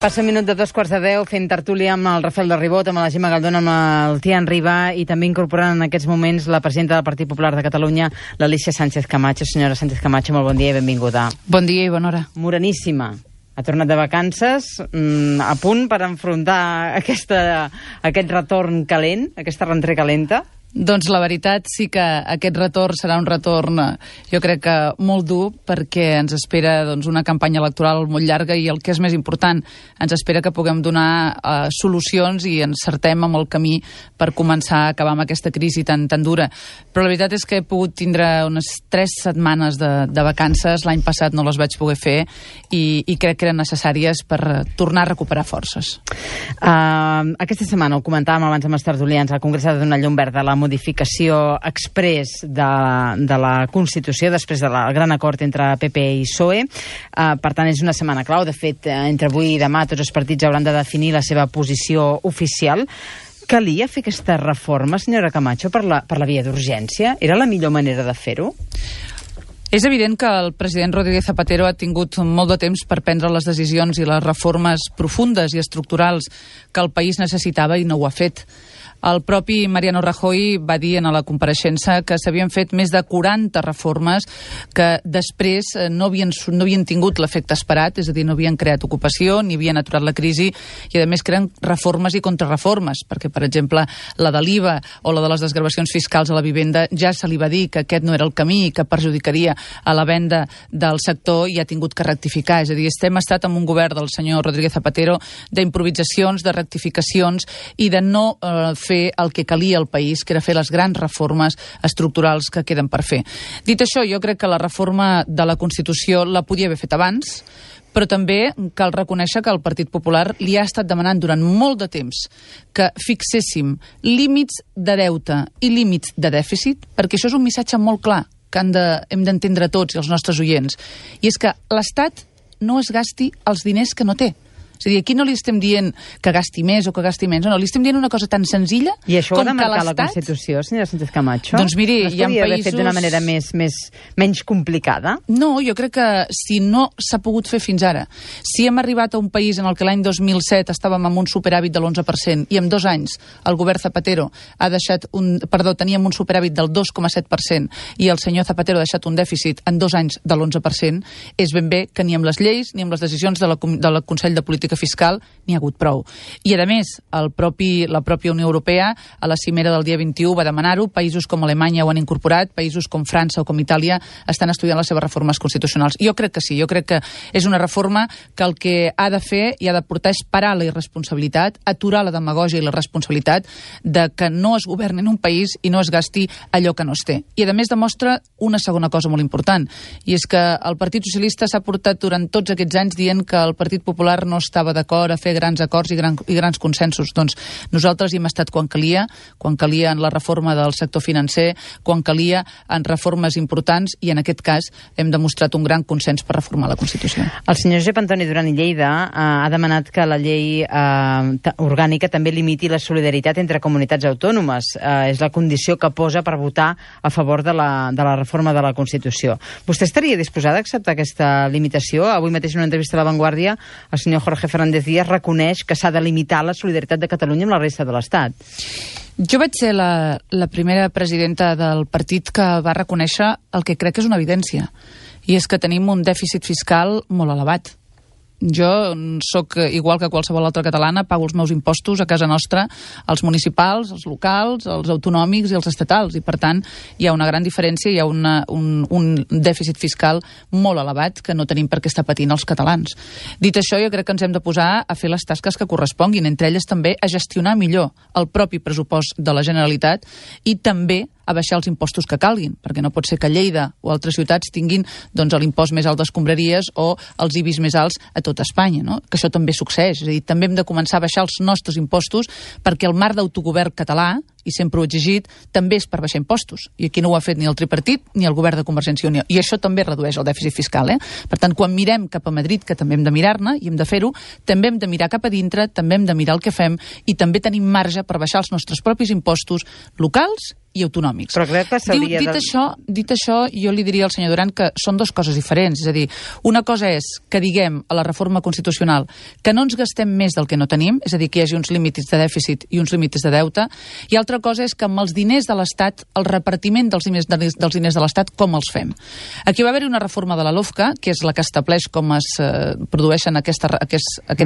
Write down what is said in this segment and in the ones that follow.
Passa un minut de 2:15 fent tertúlia amb el Rafael de Ribot, amb la Gemma Galdón, amb el Tian Riba i també incorporant en aquests moments la presidenta del Partit Popular de Catalunya, l'Alícia Sánchez Camacho. Senyora Sánchez Camacho, molt bon dia i benvinguda. Bon dia i bona hora. Moreníssima. Ha tornat de vacances, a punt per enfrontar aquest retorn calent, aquesta rentrée calenta? Doncs la veritat sí que aquest retorn serà un retorn, jo crec que molt dur, perquè ens espera una campanya electoral molt llarga i el que és més important, ens espera que puguem donar solucions i encertem amb el camí per començar a acabar amb aquesta crisi tan dura. Però la veritat és que he pogut tindre unes 3 setmanes de vacances, l'any passat no les vaig poder fer i crec que eren necessàries per tornar a recuperar forces. Aquesta setmana, ho comentàvem abans amb els tertulians, el Congrés ha de donar llum verda a la modificació exprés de la Constitució després del gran acord entre PP i PSOE. Per tant, és una setmana clau. De fet, entre avui i demà tots els partits hauran de definir la seva posició oficial. Calia fer aquesta reforma, senyora Camacho, per la via d'urgència? Era la millor manera de fer-ho? És evident que el president Rodríguez Zapatero ha tingut molt de temps per prendre les decisions i les reformes profundes i estructurals que el país necessitava i no ho ha fet. El propi Mariano Rajoy va dir en la compareixença que s'havien fet més de 40 reformes que després no havien tingut l'efecte esperat, és a dir, no havien creat ocupació, ni havien aturat la crisi, i a més que eren reformes i contrarreformes, perquè, per exemple, la de l'IVA o la de les desgravacions fiscals a la vivenda ja se li va dir que aquest no era el camí i que perjudicaria a la venda del sector i ha tingut que rectificar. És a dir, hem estat amb un govern del senyor Rodríguez Zapatero d'improvisacions, de rectificacions i de no fer el que calia al país, que era fer les grans reformes estructurals que queden per fer. Dit això, jo crec que la reforma de la Constitució la podia haver fet abans, però també cal reconèixer que el Partit Popular li ha estat demanant durant molt de temps que fixéssim límits de deute i límits de dèficit, perquè això és un missatge molt clar que hem d'entendre tots i els nostres oients, i és que l'Estat no es gasti els diners que no té. És a dir, aquí no li estem dient que gasti més o que gasti menys, no, li estem dient una cosa tan senzilla com que l'Estat... I això ho ha de marcar la Constitució, senyora Sánchez Camacho? Doncs miri, hi ha països... No es podia haver fet d'una manera menys complicada? No, jo crec que si no s'ha pogut fer fins ara, si hem arribat a un país en el que l'any 2007 estàvem amb un superàvit de l'11% i en 2 anys el govern Zapatero teníem un superàvit del 2,7% i el senyor Zapatero ha deixat un dèficit en 2 anys de l'11%, és ben bé que ni amb les lleis ni amb les decisions del Consell de Política Fiscal n'hi ha hagut prou. I, a més, la pròpia Unió Europea, a la cimera del dia 21, va demanar-ho, països com Alemanya ho han incorporat, països com França o com Itàlia estan estudiant les seves reformes constitucionals. Jo crec que sí, jo crec que és una reforma que el que ha de fer i ha de portar és parar la irresponsabilitat, aturar la demagògia i la responsabilitat de que no es governi en un país i no es gasti allò que no es té. I, a més, demostra una segona cosa molt important, i és que el Partit Socialista s'ha portat durant tots aquests anys dient que el Partit Popular no estava d'acord a fer grans acords i grans consensos. Doncs nosaltres hi hem estat quan calia en la reforma del sector financer, quan calia en reformes importants, i en aquest cas hem demostrat un gran consens per reformar la Constitució. El senyor Josep Antoni Duran i Lleida ha demanat que la llei orgànica també limiti la solidaritat entre comunitats autònomes. És la condició que posa per votar a favor de la reforma de la Constitució. Vostè estaria disposada a acceptar aquesta limitació? Avui mateix en una entrevista a La Vanguardia el senyor Jorge Fernández Díaz reconeix que s'ha de limitar la solidaritat de Catalunya amb la resta de l'Estat. Jo vaig ser la primera presidenta del partit que va reconèixer el que crec que és una evidència, i és que tenim un dèficit fiscal molt elevat. Jo sóc igual que qualsevol altra catalana, pago els meus impostos a casa nostra, els municipals, els locals, els autonòmics i els estatals, i per tant hi ha una gran diferència, hi ha un dèficit fiscal molt elevat que no tenim per què estar patint els catalans. Dit això, jo crec que ens hem de posar a fer les tasques que corresponguin, entre elles també a gestionar millor el propi pressupost de la Generalitat i també a baixar els impostos que calguin, perquè no pot ser que Lleida o altres ciutats tinguin l'impost més alt d'escombraries o els IBIs més alts a tot Espanya, no? Que això també succeeix. És a dir, també hem de començar a baixar els nostres impostos perquè el marc d'autogovern català, i sempre ho he exigit, també és per baixar impostos. I aquí no ho ha fet ni el tripartit ni el govern de Convergència i Unió. I això també redueix el dèficit fiscal. Per tant, quan mirem cap a Madrid, que també hem de mirar-ne i hem de fer-ho, també hem de mirar cap a dintre, també hem de mirar el que fem i també tenim marge per baixar els nostres propis impostos locals i autonòmics. Però crec que s'hauria Dit això, jo li diria al senyor Duran que són dues coses diferents. És a dir, una cosa és que diguem a la reforma constitucional que no ens gastem més del que no tenim, és a dir, que hi hagi uns límits de dèficit i uns límits de deute, i altra cosa és que amb els diners de l'Estat, el repartiment dels diners de l'Estat, com els fem. Aquí va haver-hi una reforma de la LOFCA, que és la que estableix com es produeixen aquest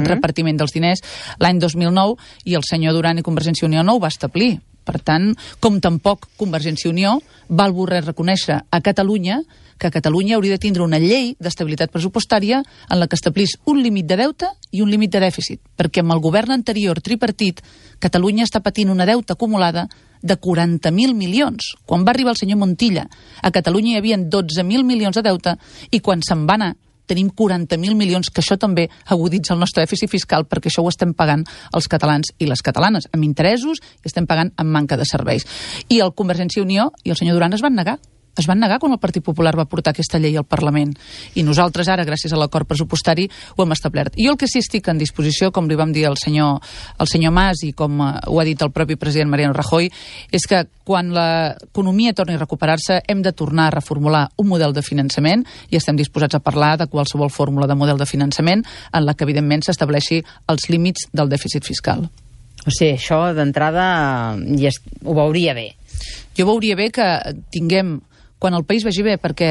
repartiment dels diners l'any 2009, i el senyor Duran i Convergència i Unió no ho va establir. Per tant, com tampoc Convergència i Unió va voler reconèixer a Catalunya que Catalunya hauria de tindre una llei d'estabilitat pressupostària en la que establís un límit de deute i un límit de dèficit, perquè amb el govern anterior tripartit, Catalunya està patint una deuta acumulada de 40.000 milions. Quan va arribar el senyor Montilla, a Catalunya hi havia 12.000 milions de deute, i quan se'n va anar tenim 40.000 milions, que això també aguditza el nostre dèficit fiscal, perquè això ho estem pagant els catalans i les catalanes, amb interessos, i estem pagant amb manca de serveis. I el Convergència i Unió i el senyor Duran es van negar. Es van negar quan el Partit Popular va portar aquesta llei al Parlament. I nosaltres ara, gràcies a l'acord pressupostari, ho hem establert. Jo el que sí estic en disposició, com li vam dir al senyor Mas i com ho ha dit el propi president Mariano Rajoy, és que quan l'economia torni a recuperar-se hem de tornar a reformular un model de finançament, i estem disposats a parlar de qualsevol fórmula de model de finançament en la que, evidentment, s'estableixi els límits del dèficit fiscal. O sigui, això d'entrada ho veuria bé. Jo veuria bé que tinguem, quan el país vagi bé, perquè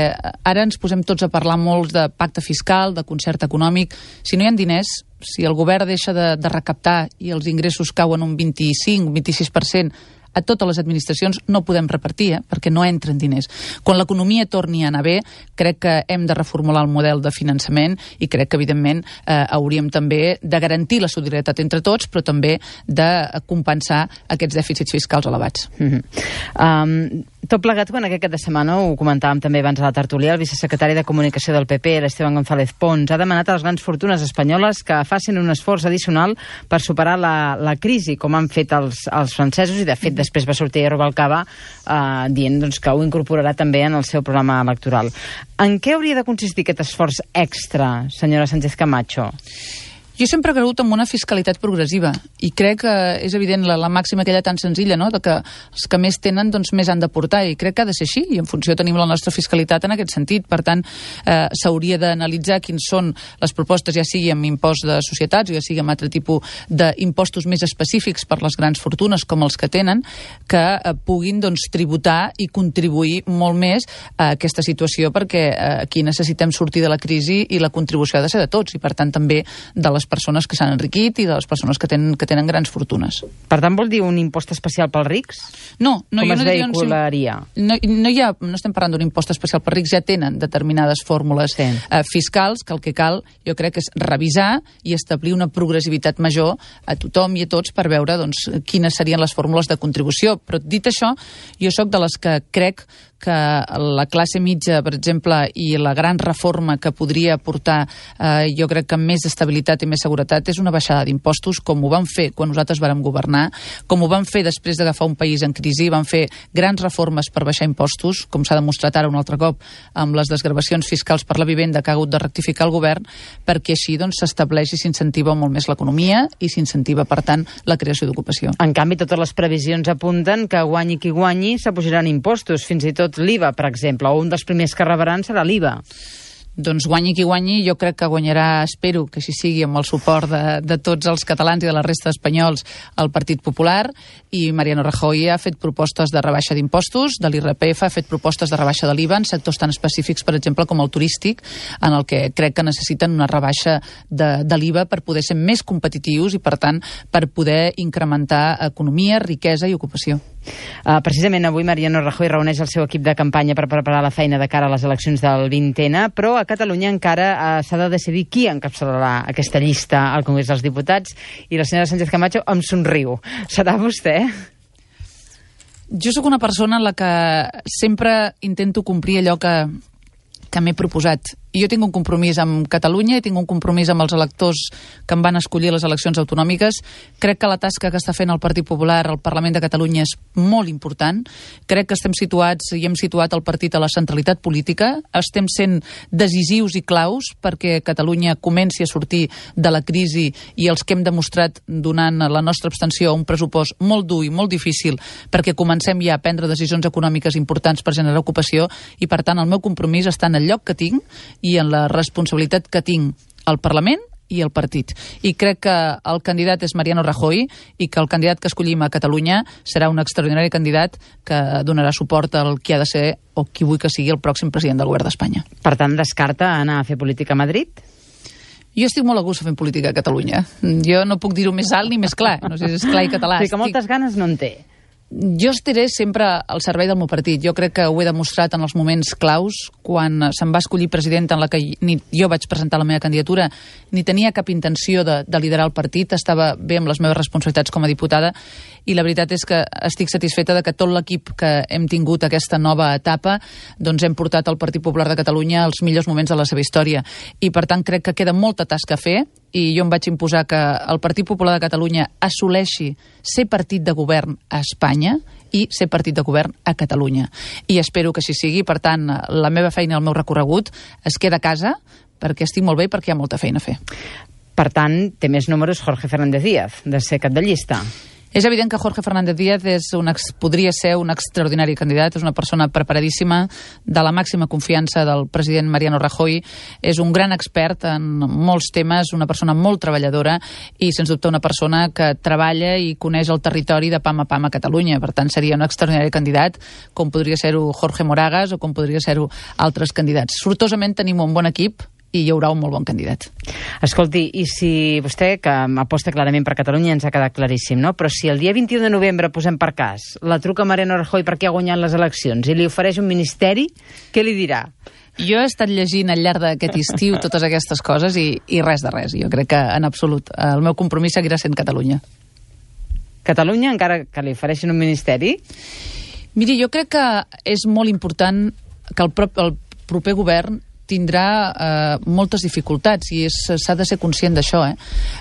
ara ens posem tots a parlar molt de pacte fiscal, de concert econòmic. Si no hi ha diners, si el govern deixa de recaptar i els ingressos cauen un 25, un 26%, a totes les administracions no podem repartir, perquè no entren diners. Quan l'economia torni a anar bé, crec que hem de reformular el model de finançament, i crec que, evidentment, hauríem també de garantir la solidaritat entre tots, però també de compensar aquests dèficits fiscals elevats. Tot plegat, quan aquest cap de setmana, ho comentàvem també abans a la tertúlia, el vicesecretari de Comunicació del PP, l'Esteban González Pons, ha demanat a les grans fortunes espanyoles que facin un esforç addicional per superar la crisi, com han fet els francesos, i de fet després va sortir Rubalcaba dient que ho incorporarà també en el seu programa electoral. En què hauria de consistir aquest esforç extra, senyora Sánchez Camacho? Jo sempre he cregut en una fiscalitat progressiva, i crec que és evident la màxima aquella tan senzilla, no?, de que els que més tenen més han de portar, i crec que ha de ser així, i en funció tenim la nostra fiscalitat en aquest sentit. Per tant, s'hauria d'analitzar quins són les propostes, ja sigui amb impost de societats o ja sigui amb altre tipus d'impostos més específics per les grans fortunes com els que tenen, que puguin tributar i contribuir molt més a aquesta situació, perquè aquí necessitem sortir de la crisi i la contribució ha de ser de tots, i per tant també de les persones que s'han enriquit i de les persones que tenen grans fortunes. Per tant, vol dir un impost especial pels rics? No, com es vehicularia? No estem parlant d'un impost especial pels rics, ja tenen determinades fórmules fiscals, que el que cal, jo crec, és revisar i establir una progressivitat major a tothom i a tots per veure quines serien les fórmules de contribució. Però dit això, jo sóc de les que crec que la classe mitja, per exemple, i la gran reforma que podria portar, jo crec que més estabilitat i més seguretat, és una baixada d'impostos, com ho vam fer quan nosaltres vàrem governar, com ho vam fer després d'agafar un país en crisi. Vam fer grans reformes per baixar impostos, com s'ha demostrat ara un altre cop amb les desgravacions fiscals per la vivenda que ha hagut de rectificar el govern, perquè així s'estableix i s'incentiva molt més l'economia i s'incentiva, per tant, la creació d'ocupació. En canvi, totes les previsions apunten que guanyi qui guanyi s'apujaran impostos, fins i tot l'IVA, per exemple, o un dels primers que rebran serà l'IVA. Doncs guanyi qui guanyi, jo crec que guanyarà, espero que així sigui, amb el suport de tots els catalans i de la resta d'espanyols, el Partit Popular, i Mariano Rajoy ha fet propostes de rebaixa d'impostos, de l'IRPF, ha fet propostes de rebaixa de l'IVA en sectors tan específics, per exemple, com el turístic, en el que crec que necessiten una rebaixa de l'IVA per poder ser més competitius i, per tant, per poder incrementar economia, riquesa i ocupació. Precisament avui Mariano Rajoy reuneix el seu equip de campanya per preparar la feina de cara a les eleccions del 20N, però a Catalunya encara s'ha de decidir qui encapçalarà aquesta llista al Congrés dels Diputats, i la senyora Sánchez Camacho em somriu. Serà vostè? Jo sóc una persona en la que sempre intento complir allò que m'he proposat, jo tinc un compromís amb Catalunya i tinc un compromís amb els electors que em van escollir les eleccions autonòmiques. Crec que la tasca que està fent el Partit Popular al Parlament de Catalunya és molt important. Crec que estem situats i hem situat el partit a la centralitat política. Estem sent decisius i claus perquè Catalunya comenci a sortir de la crisi i els que hem demostrat donant la nostra abstenció a un pressupost molt dur i molt difícil perquè comencem ja a prendre decisions econòmiques importants per generar ocupació i, per tant, el meu compromís està en el lloc que tinc i en la responsabilitat que tinc al Parlament i al partit. I crec que el candidat és Mariano Rajoy i que el candidat que escollim a Catalunya serà un extraordinari candidat que donarà suport al qui ha de ser o qui vull que sigui el pròxim president del govern d'Espanya. Per tant, descarta anar a fer política a Madrid? Jo estic molt a gust fent política a Catalunya. Jo no puc dir-ho més alt ni més clar. No sé si és clar i català. Sí, que moltes ganes no en té. Jo estaré sempre al servei del meu partit. Jo crec que ho he demostrat en els moments claus, quan se'm va escollir presidenta en la que ni jo vaig presentar la meva candidatura, ni tenia cap intenció de liderar el partit, estava bé amb les meves responsabilitats com a diputada, i la veritat és que estic satisfeta de que tot l'equip que hem tingut aquesta nova etapa doncs hem portat el Partit Popular de Catalunya als millors moments de la seva història. I per tant crec que queda molta tasca a fer, i jo em vaig imposar que el Partit Popular de Catalunya assoleixi ser partit de govern a Espanya i ser partit de govern a Catalunya. I espero que així sigui. Per tant, la meva feina i el meu recorregut es queda a casa perquè estic molt bé i perquè hi ha molta feina a fer. Per tant, té més números Jorge Fernández Díaz de ser cap de llista. És evident que Jorge Fernández Díaz podria ser un extraordinari candidat, és una persona preparadíssima, de la màxima confiança del president Mariano Rajoy, és un gran expert en molts temes, una persona molt treballadora i, sens dubte, una persona que treballa i coneix el territori de pam a pam a Catalunya. Per tant, seria un extraordinari candidat, com podria ser-ho Jorge Moragas o com podria ser-ho altres candidats. Sortosament tenim un bon equip i hi haurà un molt bon candidat. Escolti, i si vostè, que aposta clarament per Catalunya, ens ha quedat claríssim, no? Però si el dia 21 de novembre, posem per cas, la truca Mariano Rajoy perquè ha guanyat les eleccions i li ofereix un ministeri, què li dirà? Jo he estat llegint al llarg d'aquest estiu totes aquestes coses i res de res. Jo crec que, en absolut, el meu compromís seguirà sent Catalunya. Catalunya, encara que li ofereixin un ministeri? Miri, jo crec que és molt important que el proper govern tindrà moltes dificultats i s'ha de ser conscient d'això.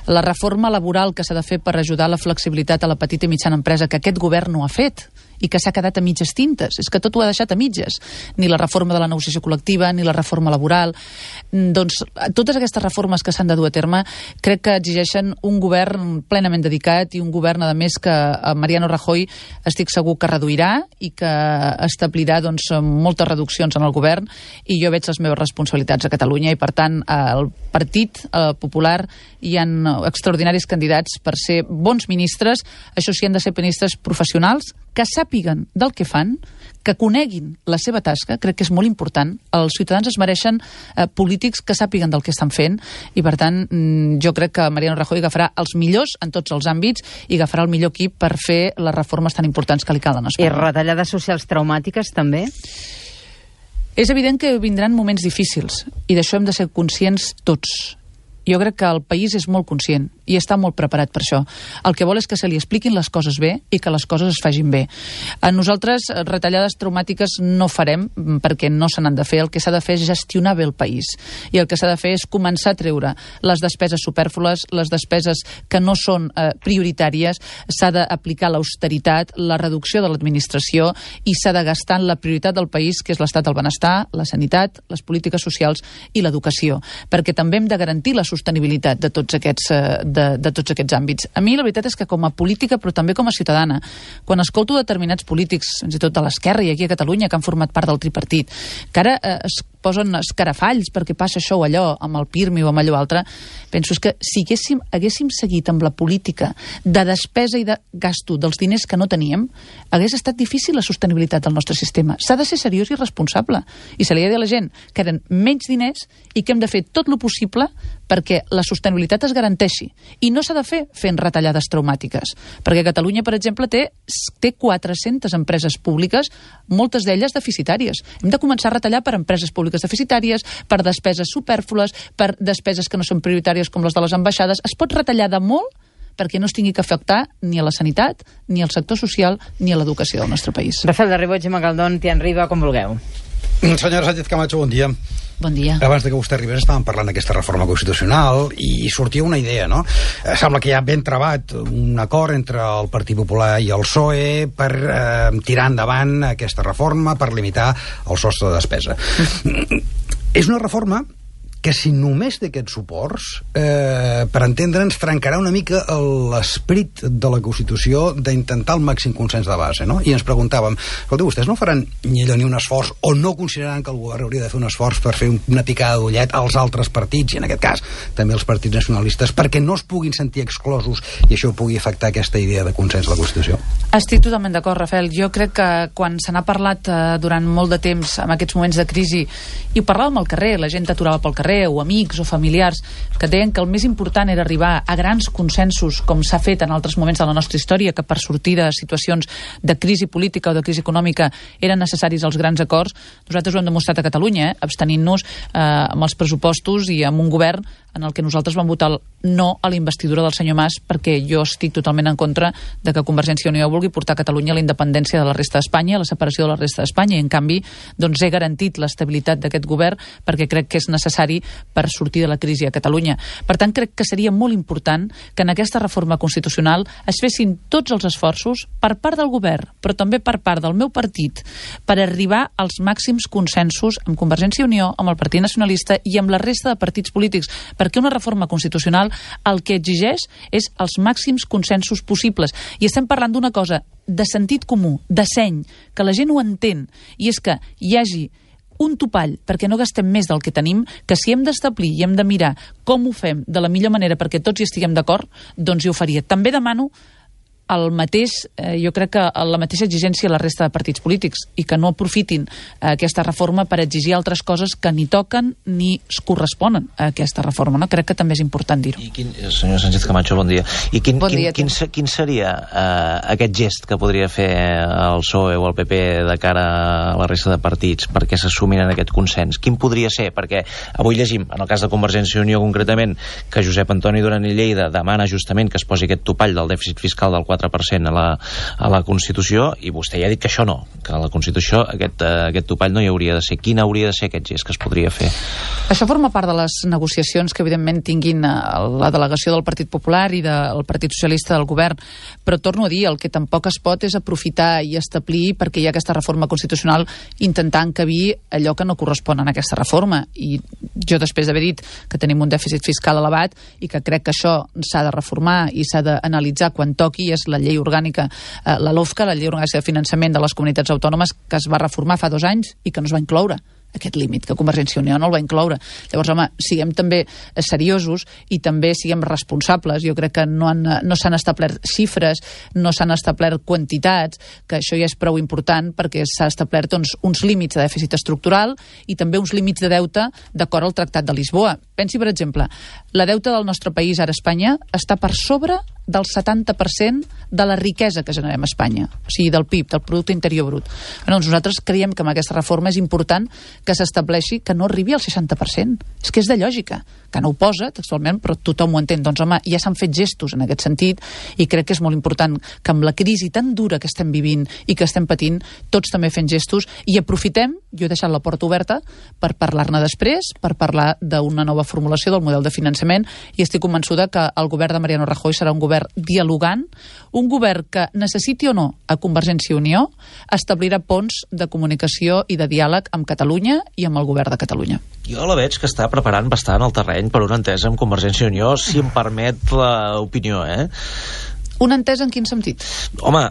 La reforma laboral que s'ha de fer per ajudar la flexibilitat a la petita i mitjana empresa, que aquest govern no ha fet i que s'ha quedat a mitges tintes. És que tot ho ha deixat a mitges. Ni la reforma de la negociació col·lectiva, ni la reforma laboral. Doncs totes aquestes reformes que s'han de dur a terme crec que exigeixen un govern plenament dedicat i un govern, a més, que Mariano Rajoy estic segur que reduirà i que establirà moltes reduccions en el govern, i jo veig les meves responsabilitats a Catalunya i, per tant, al Partit Popular hi ha extraordinaris candidats per ser bons ministres. Això sí, han de ser ministres professionals, que sàpiguen del que fan, que coneguin la seva tasca. Crec que és molt important. Els ciutadans es mereixen polítics que sàpiguen del que estan fent i, per tant, jo crec que Mariano Rajoy agafarà els millors en tots els àmbits i agafarà el millor equip per fer les reformes tan importants que li calen a Espanya. I retallades socials traumàtiques, també? És evident que vindran moments difícils i d'això hem de ser conscients tots. Jo crec que el país és molt conscient i està molt preparat per això. El que vol és que se li expliquin les coses bé i que les coses es facin bé. A nosaltres retallades traumàtiques no farem perquè no se n'han de fer. El que s'ha de fer és gestionar bé el país. I el que s'ha de fer és començar a treure les despeses supèrflues, les despeses que no són prioritàries. S'ha d'aplicar l'austeritat, la reducció de l'administració i s'ha de gastar en la prioritat del país, que és l'estat del benestar, la sanitat, les polítiques socials i l'educació. Perquè també hem de garantir la sostenibilitat de tots aquests àmbits. A mi la veritat és que com a política, però també com a ciutadana, quan escolto determinats polítics, fins i tot de l'esquerra i aquí a Catalunya, que han format part del tripartit, que ara es posen escarafalls perquè passa això o allò, amb el PIRMI o amb allò altre, penso que si haguéssim seguit amb la política de despesa i de gasto dels diners que no teníem, hagués estat difícil la sostenibilitat del nostre sistema. S'ha de ser seriós i responsable. I se li ha de dir a la gent que eren menys diners i que hem de fer tot el possible perquè la sostenibilitat es garanteixi. I no s'ha de fer fent retallades traumàtiques. Perquè Catalunya, per exemple, té 400 empreses públiques, moltes d'elles deficitàries. Hem de començar a retallar per empreses públiques deficitàries, per despeses supèrflues, per despeses que no són prioritàries com les de les ambaixades. Es pot retallar de molt perquè no es tingui que afectar ni a la sanitat, ni al sector social, ni a l'educació del nostre país. Rafael de Ribó, Gemma Galdón, Tian Riba, com vulgueu. Senyora Sánchez Camacho, bon dia. Bon dia. Abans que vostè arribés estàvem parlant d'aquesta reforma constitucional i sortia una idea, no? Sembla que hi ha ben trebat un acord entre el Partit Popular i el PSOE per tirar endavant aquesta reforma, per limitar el sostre de despesa. És una reforma que si només té aquests suports, per entendre'ns, trencarà una mica l'esperit de la Constitució d'intentar el màxim consens de base, no? I ens preguntàvem, escolta, vostès no faran ni un esforç, o no consideraran que el govern hauria de fer un esforç per fer una picada d'ullet als altres partits, i en aquest cas també als partits nacionalistes, perquè no es puguin sentir exclosos i això pugui afectar aquesta idea de consens de la Constitució? Estic totalment d'acord, Rafael. Jo crec que quan se n'ha parlat durant molt de temps en aquests moments de crisi, i ho parlàvem al carrer, la gent t'aturava pel carrer, o amics o familiars, que deien que el més important era arribar a grans consensos, com s'ha fet en altres moments de la nostra història, que per sortir de situacions de crisi política o de crisi econòmica eren necessaris els grans acords. Nosaltres ho hem demostrat a Catalunya, abstenint-nos amb els pressupostos i amb un govern en el que nosaltres vam votar el no a la investidura del senyor Mas, perquè jo estic totalment en contra de que Convergència i Unió vulgui portar Catalunya a la independència de la resta d'Espanya, a la separació de la resta d'Espanya, i en canvi doncs he garantit l'estabilitat d'aquest govern perquè crec que és necessari per sortir de la crisi a Catalunya. Per tant, crec que seria molt important que en aquesta reforma constitucional es fessin tots els esforços per part del govern, però també per part del meu partit, per arribar als màxims consensos amb Convergència i Unió, amb el Partit Nacionalista i amb la resta de partits polítics, perquè una reforma constitucional el que exigeix és els màxims consensos possibles. I estem parlant d'una cosa de sentit comú, de seny, que la gent ho entén, i és que hi hagi un topall perquè no gastem més del que tenim, que si hem d'establir i hem de mirar com ho fem de la millor manera perquè tots hi estiguem d'acord, doncs hi ho faria. També demano el mateix, jo crec que la mateixa exigència a la resta de partits polítics i que no aprofitin aquesta reforma per exigir altres coses que ni toquen ni es corresponen a aquesta reforma, no? Crec que també és important dir-ho. Senyora Sánchez Camacho, bon dia. I quin seria aquest gest que podria fer el PSOE o el PP de cara a la resta de partits perquè s'assumin en aquest consens? Quin podria ser? Perquè avui llegim, en el cas de Convergència i Unió concretament, que Josep Antoni Duran i Lleida demana justament que es posi aquest topall del dèficit fiscal del 4% a la Constitució, i vostè ja ha dit que això no, que a la Constitució aquest topall no hi hauria de ser. Quin hauria de ser aquest gest que es podria fer? Això forma part de les negociacions que evidentment tinguin la delegació del Partit Popular i del Partit Socialista del govern, però torno a dir, el que tampoc es pot és aprofitar i establir, perquè hi ha aquesta reforma constitucional, intentar encabir allò que no correspon a aquesta reforma. I jo, després d'haver dit que tenim un dèficit fiscal elevat i que crec que això s'ha de reformar i s'ha d'analitzar quan toqui, és la llei orgànica, la LOFCA, la llei orgànica de finançament de les comunitats autònomes, que es va reformar fa 2 anys i que no es va incloure aquest límit, que Convergència i Unió no el va incloure. Llavors, home, siguem també seriosos i també siguem responsables. Jo crec que no s'han establert xifres, no s'han establert quantitats, que això ja és prou important perquè s'ha establert uns límits de dèficit estructural i també uns límits de deute d'acord al Tractat de Lisboa. Pensi, per exemple, la deuta del nostre país ara a Espanya està per sobre del 70% de la riquesa que generem a Espanya, o sigui, del PIB, del Producte Interior Brut. Nosaltres creiem que amb aquesta reforma és important que s'estableixi que no arribi al 60%. És que és de lògica, que no ho posa textualment, però tothom ho entén. Doncs, home, ja s'han fet gestos en aquest sentit i crec que és molt important que amb la crisi tan dura que estem vivint i que estem patint, tots també fem gestos i aprofitem, jo he deixat la porta oberta per parlar-ne després, per parlar d'una nova formulació del model de finançament, i estic convençuda que el govern de Mariano Rajoy serà un govern dialogant, un govern que necessiti o no a Convergència i Unió establirà ponts de comunicació i de diàleg amb Catalunya i amb el govern de Catalunya. Jo la veig que està preparant bastant el terreny per una entesa amb Convergència i Unió, si em permet l'opinió, Una entesa en quin sentit? Home,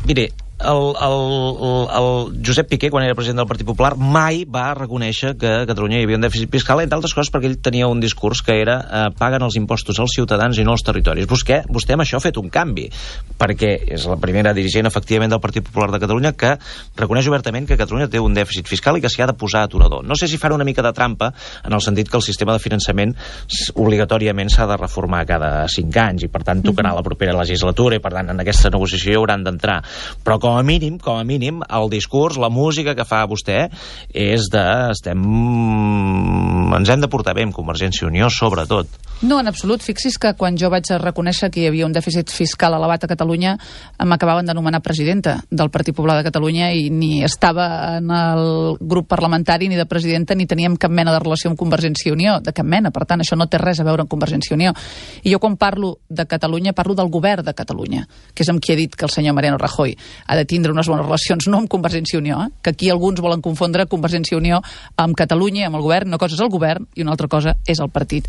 mire, el Josep Piqué, quan era president del Partit Popular, mai va reconèixer que a Catalunya hi havia un dèficit fiscal, entre altres coses perquè ell tenia un discurs que era paguen els impostos als ciutadans i no als territoris. Vostè amb això ha fet un canvi, perquè és la primera dirigent efectivament del Partit Popular de Catalunya que reconeix obertament que Catalunya té un dèficit fiscal i que s'hi ha de posar aturador. No sé si farà una mica de trampa en el sentit que el sistema de finançament obligatòriament s'ha de reformar cada 5 anys i per tant tocarà la propera legislatura i per tant en aquesta negociació hi hauran d'entrar, però com com a mínim, el discurs, la música que fa vostè és de... ens hem de portar bé amb Convergència i Unió, sobretot. No, en absolut. Fixi's que quan jo vaig reconèixer que hi havia un dèficit fiscal elevat a Catalunya, m'acabaven d'anomenar presidenta del Partit Popular de Catalunya i ni estava en el grup parlamentari ni de presidenta ni teníem cap mena de relació amb Convergència i Unió, de cap mena. Per tant, això no té res a veure amb Convergència i Unió. I jo quan parlo de Catalunya, parlo del govern de Catalunya, que és amb qui he dit que el senyor Mariano Rajoy ha de tindre unes bones relacions, no amb Convergència i Unió, que aquí alguns volen confondre Convergència i Unió amb Catalunya, amb el govern. Una cosa és el govern i una altra cosa és el partit.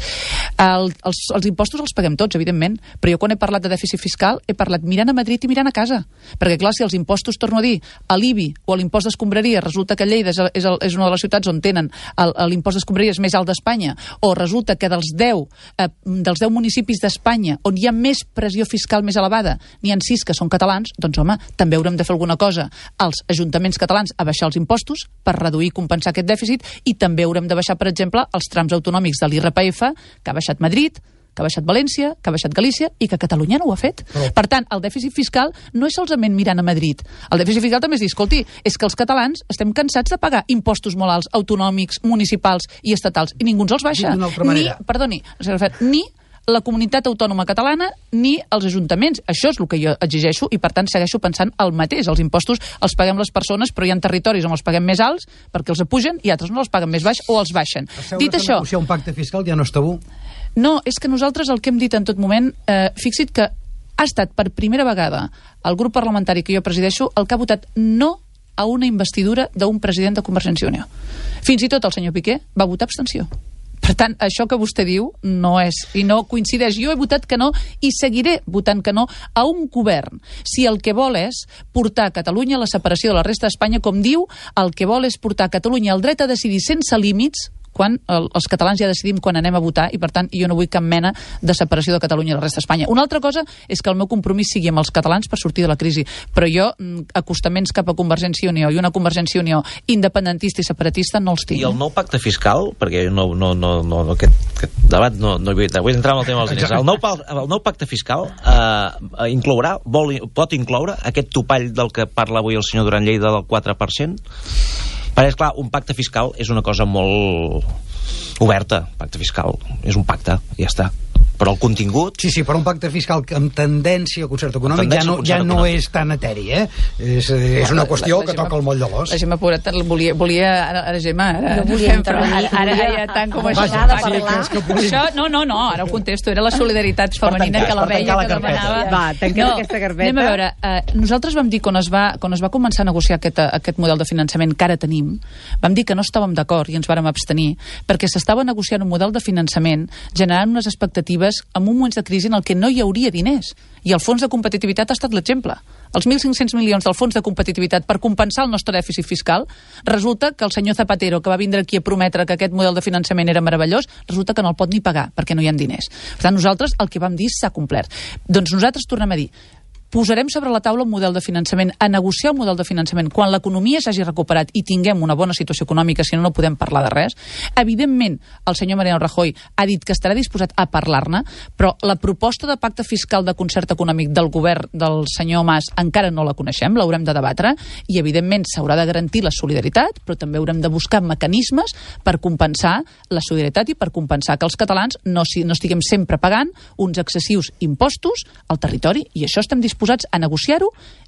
Els impostos els paguem tots, evidentment, però jo quan he parlat de dèficit fiscal he parlat mirant a Madrid i mirant a casa, perquè clar, si els impostos, torno a dir, a l'IBI o a l'impost d'escombraria, resulta que Lleida és una de les ciutats on tenen l'impost d'escombraria més alt d'Espanya, o resulta que dels 10 municipis d'Espanya on hi ha més pressió fiscal més elevada, n'hi ha 6 que són catalans, doncs home, també haurem de fer alguna cosa als ajuntaments catalans a baixar els impostos per reduir i compensar aquest dèficit, i també haurem de baixar, per exemple, els trams autonòmics de l'IRPF, que ha baixat Madrid, que ha baixat València, que ha baixat Galícia i que Catalunya no ho ha fet. Per tant, el dèficit fiscal no és solament mirant a Madrid. El dèficit fiscal també és dir, escolti, és que els catalans estem cansats de pagar impostos molt alts, autonòmics, municipals i estatals, i ningú ens els baixa. Ni la comunitat autònoma catalana ni els ajuntaments. Això és el que jo exigeixo i, per tant, segueixo pensant el mateix. Els impostos els paguem les persones, però hi ha territoris on els paguem més alts perquè els apugen i altres no els paguen més baix o els baixen. Dit això, negociar un pacte fiscal ja no és tabú? No, és que nosaltres el que hem dit en tot moment, fixa't que ha estat per primera vegada el grup parlamentari que jo presideixo el que ha votat no a una investidura d'un president de Convergència i Unió. Fins i tot el senyor Piqué va votar abstenció. Per tant, això que vostè diu no és, i no coincideix. Jo he votat que no i seguiré votant que no a un govern. Si el que vol és portar Catalunya a la separació de la resta d'Espanya, com diu, el que vol és portar Catalunya al dret a decidir sense límits, quan els catalans ja decidim quan anem a votar, i per tant jo no vull cap mena de separació de Catalunya i la resta d'Espanya. Una altra cosa és que el meu compromís sigui amb els catalans per sortir de la crisi, però jo acostaments cap a Convergència i Unió i una Convergència i Unió independentista i separatista no els tinc. I el nou pacte fiscal, perquè aquest debat no vull entrar en el tema dels diners, el nou pacte fiscal pot incloure aquest topall del que parla avui el senyor Duran Lleida del 4%? Perquè, esclar, un pacte fiscal és una cosa molt oberta. Pacte fiscal és un pacte, ja està. Però el contingut... Sí, però un pacte fiscal amb tendència al concert econòmic ja no és tan eteri, eh? És una qüestió que toca el moll de l'os. La Gemma Pobret volia... Ara Gemma... No volia intervenir. Ara ja tant com això... Això, no, ara ho contesto. Era la solidaritat femenina que la veia, que demanava... Va, tanquem aquesta carpeta. Anem a veure, nosaltres vam dir, quan es va començar a negociar aquest model de finançament que ara tenim, vam dir que no estàvem d'acord i ens vàrem abstenir, perquè s'estava negociant un model de finançament generant unes expectatives en un moment de crisi en el que no hi hauria diners. I el fons de competitivitat ha estat l'exemple. Els 1.500 milions del fons de competitivitat per compensar el nostre dèficit fiscal, resulta que el senyor Zapatero, que va vindre aquí a prometre que aquest model de finançament era meravellós, resulta que no el pot ni pagar, perquè no hi ha diners. Per tant, nosaltres el que vam dir s'ha complert. Doncs nosaltres tornem a dir, posarem sobre la taula un model de finançament, a negociar un model de finançament quan l'economia s'hagi recuperat i tinguem una bona situació econòmica, si no podem parlar de res. Evidentment, el senyor Mariano Rajoy ha dit que estarà disposat a parlar-ne, però la proposta de pacte fiscal de concert econòmic del govern del senyor Mas encara no la coneixem, l'haurem de debatre, i evidentment s'haurà de garantir la solidaritat, però també haurem de buscar mecanismes per compensar la solidaritat i per compensar que els catalans no estiguem sempre pagant uns excessius impostos al territori, i això estem disposats a negociar-ho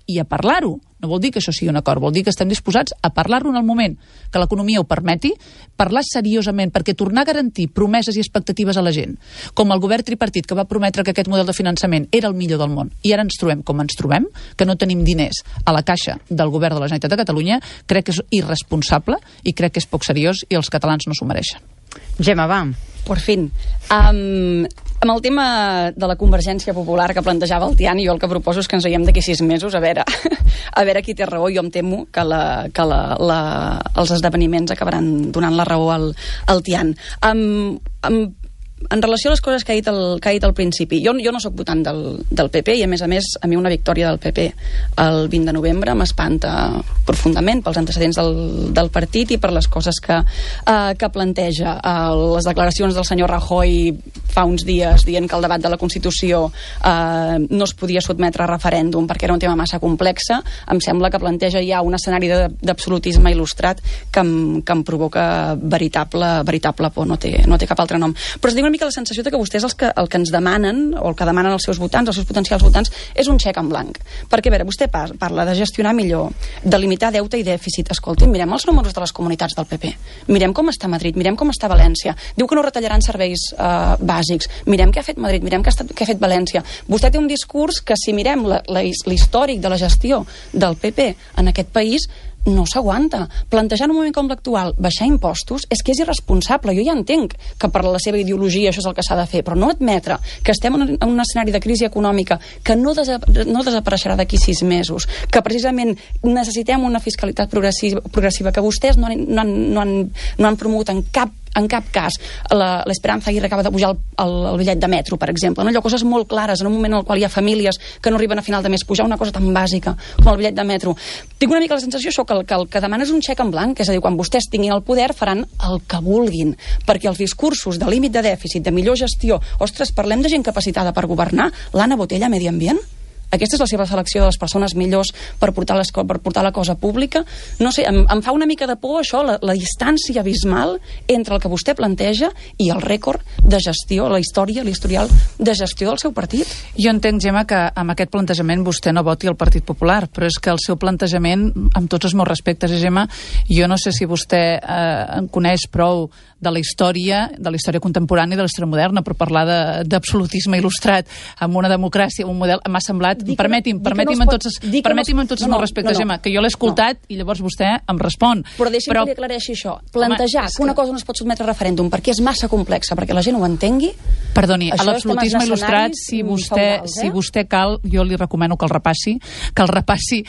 i a parlar-ho. No vol dir que això sigui un acord, vol dir que estem disposats a parlar-ho en el moment que l'economia ho permeti, parlar seriosament, perquè tornar a garantir promeses i expectatives a la gent, com el govern tripartit que va prometre que aquest model de finançament era el millor del món, i ara ens trobem com ens trobem, que no tenim diners a la caixa del govern de la Generalitat de Catalunya, crec que és irresponsable i crec que és poc seriós i els catalans no s'ho mereixen. Gemma, va. Por fin. Amb el tema de la Convergència Popular que plantejava el Tian, jo el que proposo és que ens veiem d'aquí 6 mesos a veure qui té raó. Jo em temo que els esdeveniments acabaran donant la raó al Tian. en relació a les coses que ha dit al principi, jo no sóc votant del PP i, a més, a mi una victòria del PP el 20 de novembre m'espanta profundament pels antecedents del partit i per les coses que planteja. Les declaracions del senyor Rajoy fa uns dies dient que el debat de la Constitució no es podia sotmetre a referèndum perquè era un tema massa complex, em sembla que planteja ja un escenari d'absolutisme il·lustrat que em provoca veritable por, no té cap altre nom. Però es diu una mica la sensació que vostès el que ens demanen, o el que demanen els seus votants, els seus potencials votants, és un xec en blanc. Perquè, a veure, vostè parla de gestionar millor, de limitar deute i dèficit. Escolti'm, mirem els números de les comunitats del PP. Mirem com està Madrid, mirem com està València. Diu que no retallaran serveis bàsics. Mirem què ha fet Madrid, mirem què ha fet València. Vostè té un discurs que, si mirem l'històric de la gestió del PP en aquest país, no s'aguanta. Plantejar en un moment com l'actual baixar impostos és que és irresponsable. Jo ja entenc que per la seva ideologia això és el que s'ha de fer, però no admetre que estem en un escenari de crisi econòmica que no desapareixerà d'aquí 6 mesos, que precisament necessitem una fiscalitat progressiva que vostès no han promogut en cap cas. L'Esperanza Aguirre acaba de pujar el bitllet de metro, per exemple. Allò, coses molt clares, en un moment en el qual hi ha famílies que no arriben a final de mes, pujar una cosa tan bàsica com el bitllet de metro. Tinc una mica la sensació això, que el que demana és un xec en blanc, és a dir, quan vostès tinguin el poder faran el que vulguin, perquè els discursos de límit de dèficit, de millor gestió, ostres, parlem de gent capacitada per governar, l'Anna Botella, Medi Ambient? Aquesta és la seva selecció de les persones millors per portar la cosa pública? No sé, em fa una mica de por això, la distància abismal entre el que vostè planteja i el rècord de gestió, l'historial de gestió del seu partit. Jo entenc, Gemma, que amb aquest plantejament vostè no voti el Partit Popular, però és que el seu plantejament, amb tots els meus respectes, Gemma, jo no sé si vostè en coneix prou de la història contemporània i de la història moderna, per parlar d'absolutisme il·lustrat amb una democràcia, un model, m'ha semblat. Permeti'm amb tots els meus respectes, Gemma, que jo l'he escoltat i llavors vostè em respon. Però deixi'm que li aclareixi això. Plantejar que una cosa no es pot sotmetre a referèndum perquè és massa complexa, perquè la gent ho entengui... Perdoni, a l'absolutisme il·lustrat, si vostè cal, jo li recomano que el repassi, que repassi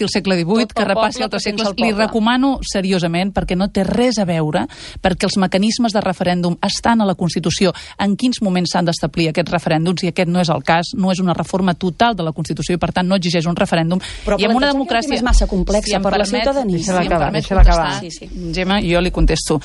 el segle XVIII, que repassi altres segles. Li recomano seriosament, perquè no té res a veure, perquè els mecanismes de referèndum estan a la Constitució, en quins moments s'han d'establir aquests referèndums, i aquest no és el cas, no és una reforma total de la Constitució i, per tant, no exigeix un referèndum. Però i amb una democràcia és massa complexa per la ciutadania. Deixa-la acabar. Gemma, jo li contesto.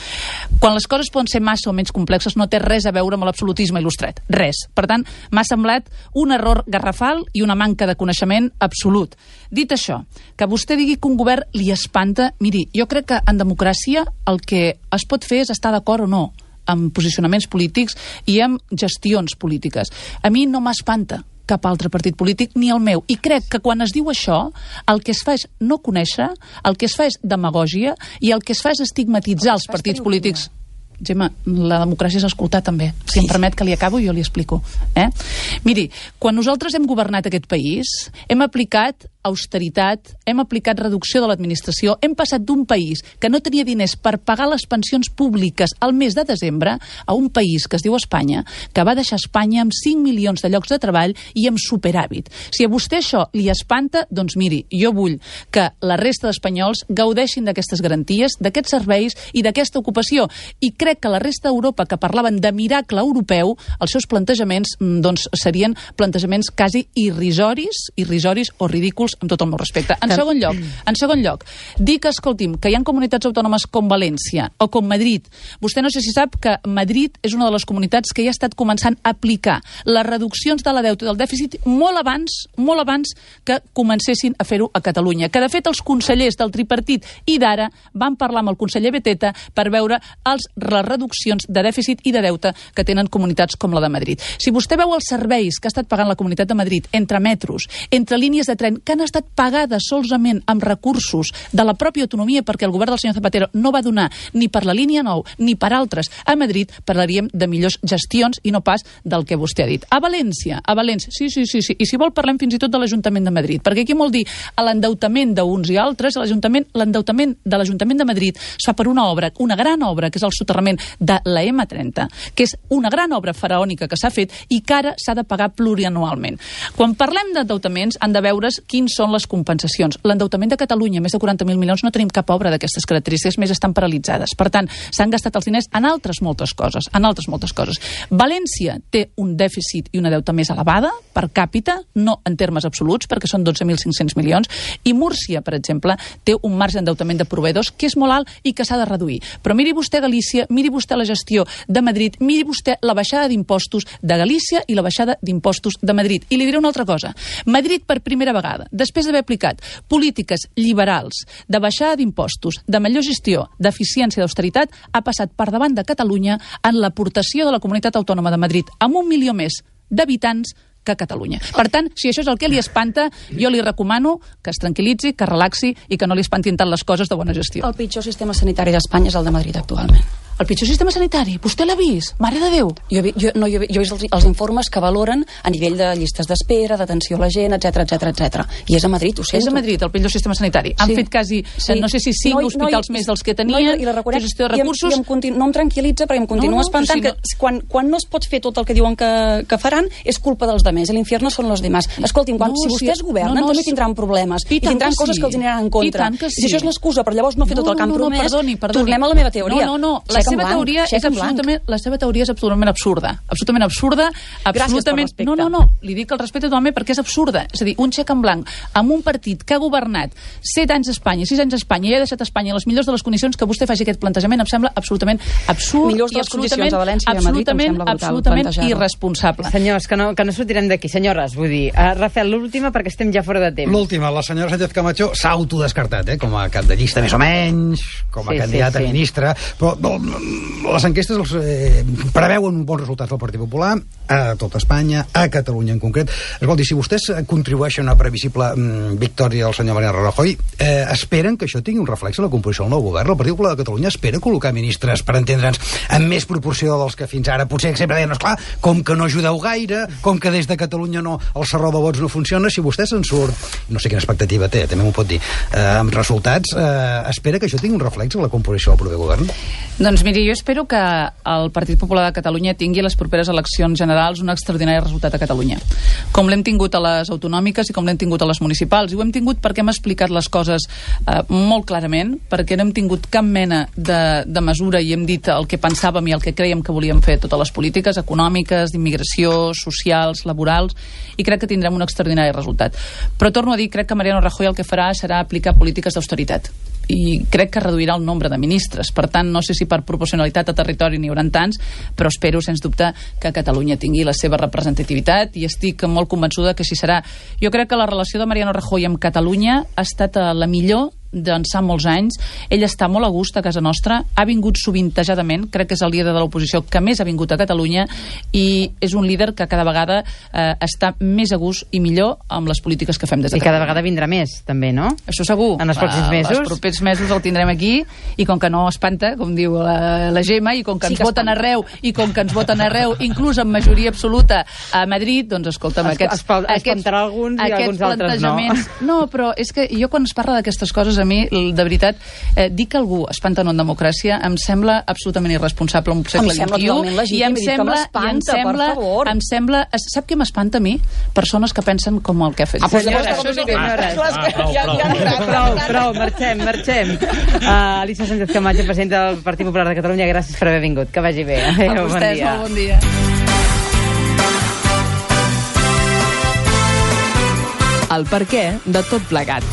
Quan les coses poden ser massa o menys complexes, no té res a veure amb l'absolutisme il·lustrat. Res. Per tant, m'ha semblat un error garrafal i una manca de coneixement absolut. Dit això, que vostè digui que un govern li espanta, miri, jo crec que en democràcia el que es pot fer és estar d'acord o no amb posicionaments polítics i amb gestions polítiques. A mi no m'espanta cap altre partit polític, ni el meu. I crec que quan es diu això, el que es fa és no conèixer, el que es fa és demagògia i el que es fa és estigmatitzar els partits polítics. Gemma, la democràcia és escoltar també. Si em permet que li acabo, jo li explico. Miri, quan nosaltres hem governat aquest país, hem aplicat austeritat, hem aplicat reducció de l'administració, hem passat d'un país que no tenia diners per pagar les pensions públiques al mes de desembre a un país que es diu Espanya, que va deixar Espanya amb 5 milions de llocs de treball i amb superàvit. Si a vostè això li espanta, doncs miri, jo vull que la resta d'espanyols gaudeixin d'aquestes garanties, d'aquests serveis i d'aquesta ocupació. I crec que la resta d'Europa, que parlaven de miracle europeu, els seus plantejaments doncs, serien plantejaments quasi irrisoris o ridículs, amb tot el meu respecte. En segon lloc, dir que, escolti'm, que hi ha comunitats autònomes com València o com Madrid. Vostè no sé si sap que Madrid és una de les comunitats que ja ha estat començant a aplicar les reduccions de la deute i del dèficit molt abans que comencessin a fer-ho a Catalunya. Que, de fet, els consellers del tripartit i d'ara van parlar amb el conseller Beteta per veure les reduccions de dèficit i de deute que tenen comunitats com la de Madrid. Si vostè veu els serveis que ha estat pagant la Comunitat de Madrid entre metros, entre línies de tren, que han estat pagades solament amb recursos de la pròpia autonomia, perquè el govern del senyor Zapatero no va donar ni per la línia 9 ni per altres a Madrid, parlaríem de millors gestions i no pas del que vostè ha dit. A València, sí. I si vol parlem fins i tot de l'Ajuntament de Madrid, perquè aquí vol dir l'endeutament d'uns i altres, l'endeutament de l'Ajuntament de Madrid es fa per una obra, una gran obra, que és el soterrament de la M30, que és una gran obra faraònica que s'ha fet i que ara s'ha de pagar plurianualment. Quan parlem d'endeutaments, han de veure's quins quins són les compensacions. L'endeutament de Catalunya, més de 40.000 milions, no tenim cap obra d'aquestes característiques, més estan paralitzades. Per tant, s'han gastat els diners en altres moltes coses, València té un dèficit i una deuta més elevada, per càpita, no en termes absoluts, perquè són 12.500 milions, i Múrcia, per exemple, té un marge d'endeutament de proveïdors que és molt alt i que s'ha de reduir. Però miri vostè Galícia, miri vostè la gestió de Madrid, miri vostè la baixada d'impostos de Galícia i la baixada d'impostos de Madrid. I li diré una altra cosa. Madrid, per primera vegada, després d'haver aplicat polítiques liberals de baixada d'impostos, de millor gestió, d'eficiència i d'austeritat, ha passat per davant de Catalunya en l'aportació de la Comunitat Autònoma de Madrid amb 1 milió més d'habitants que a Catalunya. Per tant, si això és el que li espanta, jo li recomano que es tranquil·litzi, que relaxi i que no li espantin tant les coses de bona gestió. El pitjor sistema sanitari d'Espanya és el de Madrid actualment. El pitjor sistema sanitari? Vostè l'ha vist? Mare de Déu! Jo he vist els informes que valoren a nivell de llistes d'espera, d'atenció a la gent, etc. I és a Madrid, ho sento. És a Madrid, el pitjor sistema sanitari. Han fet quasi, no sé si 5 hospitals més dels que tenien, gestió de recursos. No em tranquil·litza, perquè em continua espantant que quan no es pot fer tot el que diuen que faran, és culpa dels demés. L'infierno són los demás. Escolti'm, si vostès governen, també tindran problemes. I tindran coses que els aniran en contra. I si això és l'excusa per llavors no fer tot el que han promès, tornem a la meva teoria. No. La seva teoria és absolutament absurda. Absolutament absurda. Gràcies per respecte. No. Li dic el respecte totalment perquè és absurda. És a dir, un xec en blanc amb un partit que ha governat 7 anys a Espanya, 6 anys a Espanya i ha deixat Espanya a les millors de les condicions, que vostè faci aquest plantejament em sembla absolutament absurd i absolutament irresponsable. Senyors, que no sortirem d'aquí. Senyores, vull dir, Rafael, l'última perquè estem ja fora de temps. L'última, la senyora Sánchez Camacho s'ha autodescartat, com a cap de llista més o menys, com a candidat a ministre, però les enquestes preveuen bons resultats del Partit Popular a tot Espanya, a Catalunya en concret. Escolti, si vostès contribueixen a una previsible victòria del senyor Mariano Rajoy, esperen que això tingui un reflex a la composició del nou govern. El Partit Popular de Catalunya espera col·locar ministres, per entendre'ns, amb més proporció dels que fins ara potser sempre deien, esclar, com que no ajudeu gaire, com que des de Catalunya el serró de vots no funciona, si vostè se'n surt, no sé quina expectativa té, també m'ho pot dir, amb resultats, espera que això tingui un reflex a la composició del proper govern? Doncs miri, jo espero que el Partit Popular de Catalunya tingui a les properes eleccions generals un extraordinari resultat a Catalunya. Com l'hem tingut a les autonòmiques i com l'hem tingut a les municipals. I ho hem tingut perquè hem explicat les coses molt clarament, perquè no hem tingut cap mena de mesura i hem dit el que pensàvem i el que creiem que volíem fer totes les polítiques econòmiques, d'immigració, socials, laborals, i crec que tindrem un extraordinari resultat. Però torno a dir, crec que Mariano Rajoy el que farà serà aplicar polítiques d'austeritat. I crec que reduirà el nombre de ministres. Per tant, no sé si per proporcionalitat a territori n'hi haurà tants, però espero, sens dubte, que Catalunya tingui la seva representativitat i estic molt convençuda que així serà. Jo crec que la relació de Mariano Rajoy amb Catalunya ha estat la millor d'ençà molts anys. Ell està molt a gust a casa nostra, ha vingut sovintejadament, crec que és el líder de l'oposició que més ha vingut a Catalunya i és un líder que cada vegada està més a gust i millor amb les polítiques que fem des de Catalunya. I cada vegada vindrà més, també, no? Això segur. En els pròxims mesos? Els propers mesos el tindrem aquí i com que no espanta, com diu la Gemma, i com que ens voten arreu, inclús amb majoria absoluta a Madrid, doncs escolta'm, espantarà alguns i alguns altres no. No, però és que jo quan es parla d'aquestes coses, a mi, de veritat, dir que algú espanta en democràcia em sembla absolutament irresponsable en un segle XXI, i em sembla, sap què m'espanta a mi? Persones que pensen com el que ha fet. Prou, marxem. Alicia Sánchez Camacho, presidenta del Partit Popular de Catalunya, gràcies per haver vingut, que vagi bé. A vostès, molt bon dia. El perquè de tot plegat.